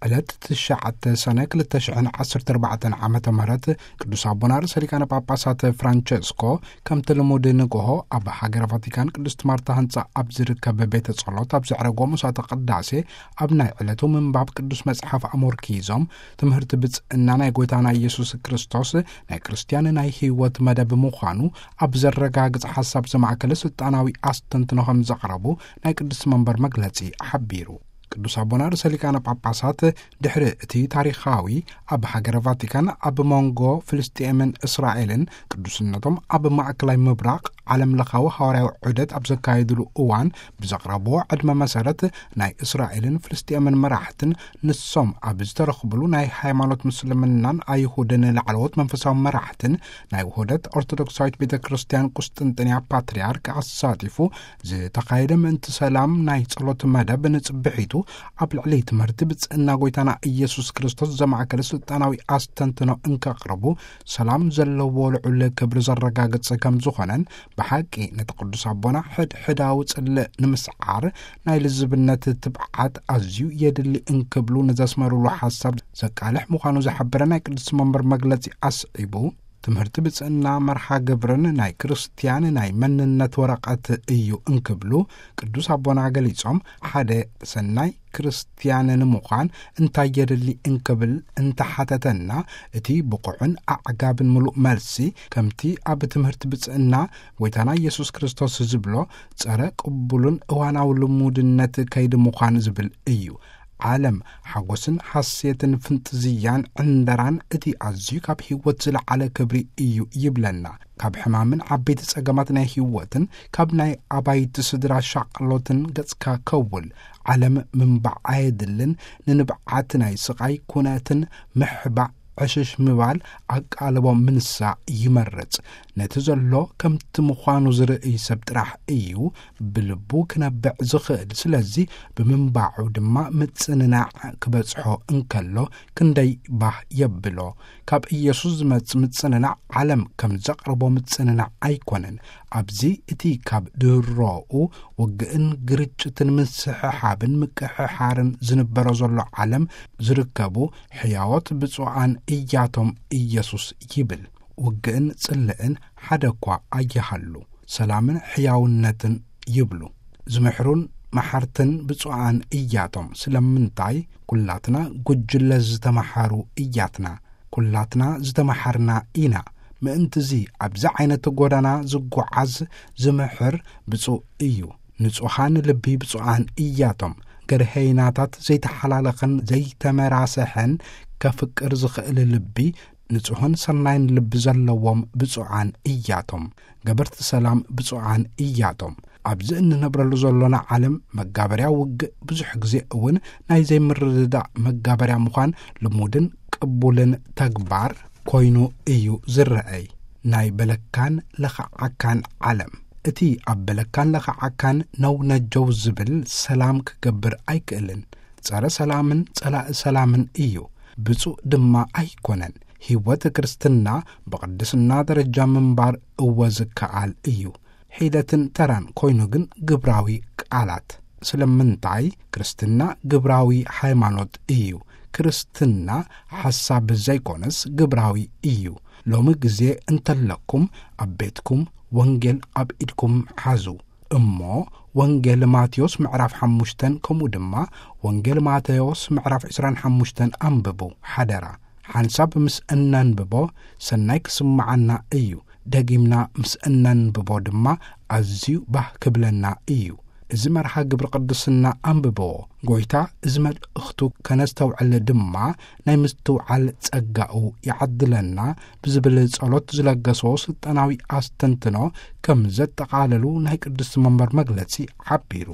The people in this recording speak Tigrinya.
ዕለት ትሽዓተ ሰነ ክልተ ሽሕን ዓሰርተ ኣርባዕተን ዓመተ ምህረት ቅዱስ ኣቦና ርእሰ ሊቃነ ጳጳሳት ፍራንቸስኮ ከምቲ ልሙድ ንግሆ ኣብ ሃገረ ቫቲካን ቅድስት ማርታ ህንጻ ኣብ ዝርከብ ቤተ ጸሎት ኣብ ዘዕረጎ ምሳተ ቅዳሴ ኣብ ናይ ዕለቱ ምንባብ ቅዱስ መጽሓፍ ኣሞርኪዞም ትምህርቲ ብጽእና ናይ ጎይታና ኢየሱስ ክርስቶስ ናይ ክርስትያን ናይ ህይወት መደብ ምዃኑ ኣብ ዘረጋግጽ ሓሳብ ዘማእከለ ስልጣናዊ ኣስተንትኖ ከም ዘቕረቡ ናይ ቅድስቲ መንበር መግለጺ ሓቢሩ። ቅዱስ ኣቦና ርእሰ ሊቃነ ጳጳሳት ድሕሪ እቲ ታሪኻዊ ኣብ ሃገረ ቫቲካን ኣብ መንጎ ፍልስጤምን እስራኤልን ቅዱስነቶም ኣብ ማእከላይ ምብራቕ ዓለም ለኻዊ ሃዋርያዊ ዑደት ኣብ ዘካየድሉ እዋን ብዘቕረብዎ ዕድመ መሰረት ናይ እስራኤልን ፍልስጤምን መራሕትን ንሶም ኣብ ዝተረኽብሉ ናይ ሃይማኖት ምስልምናን ኣይሁድን ላዕለዎት መንፈሳዊ መራሕትን ናይ ውህደት ኦርቶዶክሳዊት ቤተ ክርስቲያን ቁስጥንጥንያ ፓትርያርክ ኣሳቲፉ ዝተኻየደ ምእንቲ ሰላም ናይ ጸሎት መደብ ንጽብሒቱ ኣብ ልዕሊ ትምህርቲ ብጽእና ጎይታና ኢየሱስ ክርስቶስ ዘማእከለ ስልጣናዊ ኣስተንትኖ እንከቕርቡ ሰላም ዘለዎ ልዑል ክብሪ ዘረጋግጽ ከም ዝኾነን ብሓቂ ነቲ ቅዱስ ኣቦና ሕድሕዳዊ ጽልእ ንምስዓር ናይ ልዝብነት ትብዓት ኣዝዩ የድሊ እንክብሉ ንዘስመሩሉ ሓሳብ ዘቃልሕ ምዃኑ ዝሓበረ ናይ ቅዱስ መንበር መግለጺ ኣስዒቡ ትምህርቲ ብጽእና መርሓ ግብርን ናይ ክርስትያን ናይ መንነት ወረቐት እዩ እንክብሉ ቅዱስ ኣቦና ገሊጾም ሓደ ሰናይ ክርስትያን ንምዃን እንታይ የድሊ እንክብል እንተሓተተና እቲ ብቑዕን ኣዕጋብን ምሉእ መልሲ ከምቲ ኣብ ትምህርቲ ብጽእና ጎይታና ኢየሱስ ክርስቶስ ዝብሎ ጸረ ቅቡሉን እዋናዊ ልሙድነት ከይዲ ምዃን ዝብል እዩ። ዓለም ሓጎስን ሓሴትን ፍንጥዝያን ዕንደራን እቲ ኣዝዩ ካብ ህይወት ዝለዓለ ክብሪ እዩ ይብለና። ካብ ሕማምን ዓበይቲ ጸገማት ናይ ህይወትን ካብ ናይ ኣባይቲ ስድራ ሻቕሎትን ገጽካ ከውል ዓለም ምንባዕ ኣየድልን። ንንብዓት ናይ ስቓይ ኩነትን ምሕባእ ዕሽሽ ምባል ኣቃልቦ ምንሳ ይመርጽ። ነቲ ዘሎ ከምቲ ምዃኑ ዝርእይ ሰብ ጥራሕ እዩ ብልቡ ክነብዕ ዝኽእል። ስለዚ ብምንባዑ ድማ ምጽንናዕ ክበጽሖ እንከሎ ክንደይ ባህ የብሎ። ካብ ኢየሱስ ዝመጽእ ምጽንናዕ ዓለም ከም ዘቕርቦ ምጽንናዕ ኣይኮነን። ኣብዚ እቲ ካብ ድሮኡ ውግእን ግርጭትን ምስሕሓብን ምቅሕሓርን ዝንበሮ ዘሎ ዓለም ዝርከቡ ሕያዎት ብፁዓን እያቶም ኢየሱስ ይብል። ውግእን ጽልእን ሓደ እኳ ኣይሃሉ፣ ሰላምን ሕያውነትን ይብሉ። ዝምሕሩን መሓርትን ብፁዓን እያቶም። ስለምንታይ? ኩላትና ጉጅለ ዝተመሓሩ እያትና። ኩላትና ዝተመሓርና ኢና። ምእንትዚ ኣብዚ ዓይነት ጎዳና ዝጓዓዝ ዝምሕር ብፁዕ እዩ። ንጹሃን ልቢ ብፁዓን እያቶም። ገርሀይናታት ዘይተሓላለኸን ዘይተመራሰሐን ከፍቅር ዝኽእል ልቢ፣ ንጹህን ሰናይን ልቢ ዘለዎም ብፁዓን እያቶም። ገበርቲ ሰላም ብፁዓን እያቶም። ኣብዚ እንነብረሉ ዘሎና ዓለም መጋበርያ ውግእ፣ ብዙሕ ግዜ እውን ናይ ዘይምርድዳእ መጋበርያ ምዃን ልሙድን ቅቡልን ተግባር ኮይኑ እዩ ዝረኣይ። ናይ በለካን ለኸዓካን ዓለም። እቲ ኣብ በለካን ለኸዓካን ነውነጀው ዝብል ሰላም ክገብር ኣይክእልን። ጸረ ሰላምን ጸላኢ ሰላምን እዩ። ብፁዕ ድማ ኣይኮነን። ህይወት ክርስትና ብቕድስና ደረጃ ምንባር እወ ዝከኣል እዩ። ሒደትን ተራን ኮይኑ ግን ግብራዊ ቃላት። ስለምንታይ? ክርስትና ግብራዊ ሃይማኖት እዩ። ክርስትና ሓሳብ ዘይኮነስ ግብራዊ እዩ። ሎሚ ግዜ እንተለኩም ኣብ ቤትኩም ወንጌል ኣብ ኢድኩም ሓዙ እሞ ወንጌል ማቴዎስ ምዕራፍ ሓሙሽተን ከምኡ ድማ ወንጌል ማቴዎስ ምዕራፍ ዕስራን ሓሙሽተን ኣንብቡ ሓደራ። ሓንሳብ ምስ እነንብቦ ሰናይ ክስምዓና እዩ። ደጊምና ምስ እነንብቦ ድማ ኣዝዩ ባህ ክብለና እዩ። እዚ መርሃ ግብሪ ቅድስና ኣንብብዎ። ጎይታ እዚ መልእኽቱ ከነስተውዕል ድማ ናይ ምስትውዓል ጸጋኡ ይዓድለና ብዝብል ጸሎት ዝለገስዎ ስልጣናዊ ኣስተንትኖ ከም ዘጠቓለሉ ናይ ቅድስቲ መንበር መግለጺ ሓቢሩ።